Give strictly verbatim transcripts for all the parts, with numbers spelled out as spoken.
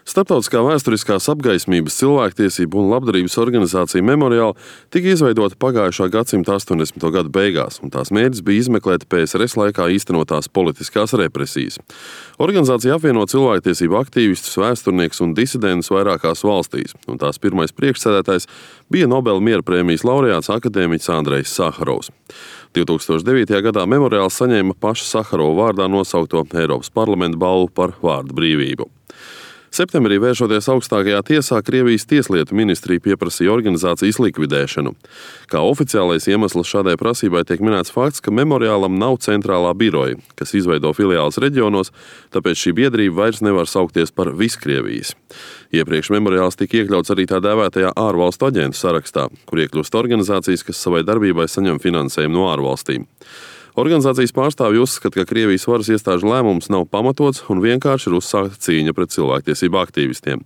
Starptautiskā vēsturiskās apgaismības, cilvēktiesību un labdarības organizācija Memorial tika izveidota pagājušā gadsimta astoņdesmito gadu beigās, un tās mērķis bija izmeklēt P S R S laikā īstenotās politiskās represijas. Organizācija apvieno cilvēktiesību aktīvistus, vēsturniekus un disidentus vairākās valstīs, un tās pirmais priekšsēdētājs bija Nobela miera prēmijas laureāts akadēmiķis Andrejs Saharovs. divi tūkstoši devītajā gadā Memoriāls saņēma paša Saharova vārdā nosaukto Eiropas parlamenta balvu par vārda brīvību. Septembrī, vēršoties augstākajā tiesā, Krievijas tieslietu ministrija pieprasīja organizācijas likvidēšanu. Kā oficiālais iemesls šādai prasībai tiek minēts fakts, ka Memoriālam nav centrālā biroja, kas izveido filiāles reģionos, tāpēc šī biedrība vairs nevar saukties par Viskrievijas. Iepriekš Memoriāls tika iekļauts arī tā dēvētajā ārvalstu aģentu sarakstā, kur iekļūst organizācijas, kas savai darbībai saņem finansējumu no ārvalstīm. Organizācijas pārstāvji uzskata, ka Krievijas varas iestāžu lēmums nav pamatots un vienkārši ir uzsākta cīņa pret cilvēktiesību aktīvistiem.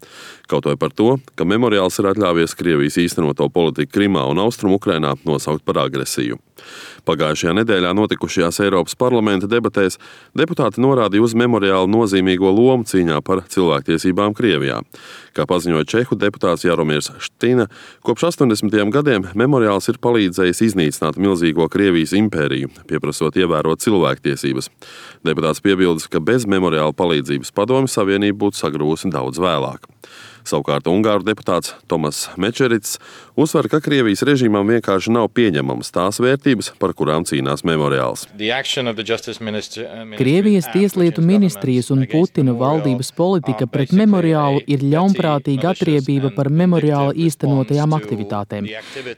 Kaut vai par to, ka Memoriāls ir atļāvies Krievijas īstenoto politiku Krimā un Austrumu Ukrainā nosaukt par agresiju. Pagājušajā nedēļā notikušajās Eiropas parlamenta debatēs deputāti norādīja uz Memoriāla nozīmīgo lomu cīņā par cilvēktiesībām Krievijā. Kā paziņoja čehu deputāts Jaromirs Ština, kopš astoņdesmitajiem gadiem Memoriāls ir palīdzējis iznīcināt milzīgo Krievijas impēriju, pieprasot ievērot cilvēktiesības. Deputāts piebildes, ka bez Memoriāla palīdzības Padomju Savienība būtu sagrūsi daudz vēlāk. Savukārt Ungāru deputāts Tomas Mečerits uzsver, ka Krievijas režīmam vienkārši nav pieņemamas tās vērtības, par kurām cīnās Memoriāls. Krievijas tieslietu ministrijas un Putina valdības politika pret Memoriālu ir ļaunprātīga atriebība par Memoriāla īstenotajām aktivitātēm.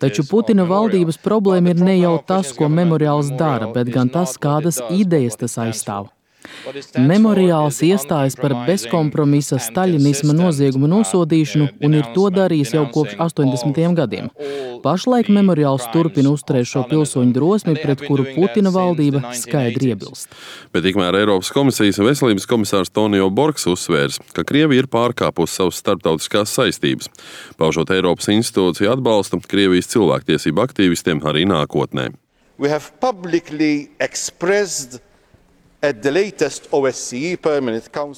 Taču Putina valdības problēma ir ne jau tas, ko Memoriāls dara, bet gan tas, kādas idejas tas aizstāv. Memoriāls iestājas par bezkompromisa staļinisma noziegumu nosodīšanu un ir to darījis jau kopš astoņdesmitajiem gadiem. Pašlaik Memoriāls turpina uzturēt šo pilsoņu drosmi, pret kuru Putina valdība skaidri iebilst. Bet tikmēr Eiropas komisijas veselības komisārs Tonio Borgs uzsvērs, ka Krievija ir pārkāpusi savas starptautiskās saistības, paužot Eiropas institūciju atbalstu Krievijas cilvēktiesību aktīvistiem arī nākotnē.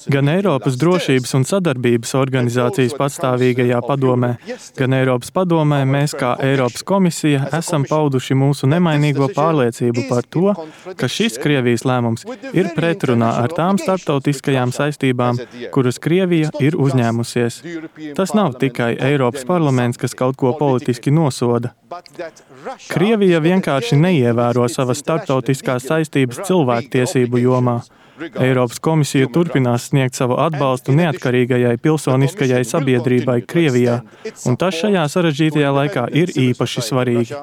Gan Eiropas drošības un sadarbības organizācijas pastāvīgajā padomē, gan Eiropas padomē mēs kā Eiropas komisija esam pauduši mūsu nemainīgo pārliecību par to, ka šis Krievijas lēmums ir pretrunā ar tām starptautiskajām saistībām, kuras Krievija ir uzņēmusies. Tas nav tikai Eiropas parlaments, kas kaut ko politiski nosoda. Krievija vienkārši neievēro savas starptautiskās saistības cilvēktiesību jomā. Eiropas komisija turpinās sniegt savu atbalstu neatkarīgajai pilsoniskajai sabiedrībai Krievijā, un tas šajā sarežģītajā laikā ir īpaši svarīgi.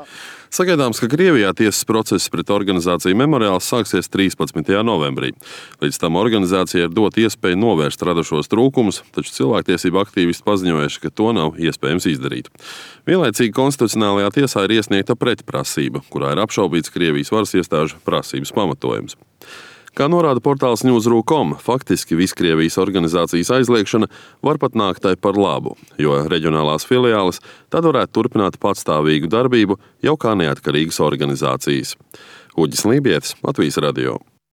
Sagaidāms, ka Krievijā tiesas process pret organizāciju Memoriāls sāksies trīspadsmitajā novembrī. Līdz tam organizācija ir dot iespēju novērst radušos trūkumus, taču cilvēktiesību aktīvisti paziņojuši, ka to nav iespējams izdarīt. Vienlaicīgi konstitucionālajā tiesā ir iesniegta pretprasība, kurā ir apšaubīts Krievijas varas iestāžu prasības pamatojums. Kā norāda portāls Newsroom punkt com, faktiski Viskrievijas organizācijas aizliegšana var pat nākt tai par labu, jo reģionālās filiāles tad varētu turpināt patstāvīgu darbību jau kā neatkarīgas organizācijas. Uģis Lībietis, Latvijas radio.